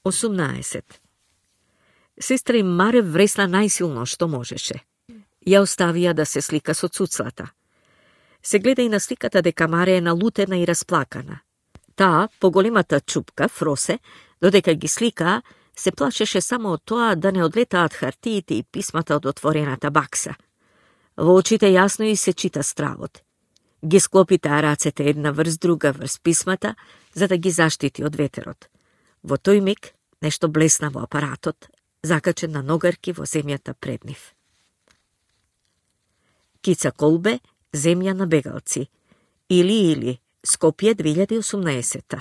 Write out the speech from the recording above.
18. Сестра им Маре вресна најсилно што можеше. Ја оставија да се слика со цуцлата. Се гледа и на сликата дека Маре е налутена и расплакана. Таа, поголемата чупка, Фросе, додека ги сликаа, се плашеше само од тоа да не одлетаат хартиите и писмата од отворената бакса. Во очите јасно и се чита стравот. Ги склопи таа рацете една врз друга врз писмата, за да ги заштити од ветерот. Во тој миг нешто блесна во апаратот, закачен на ногарки во земјата пред нив. Кица Колбе, Земја на бегалци. Или, Скопје 2018.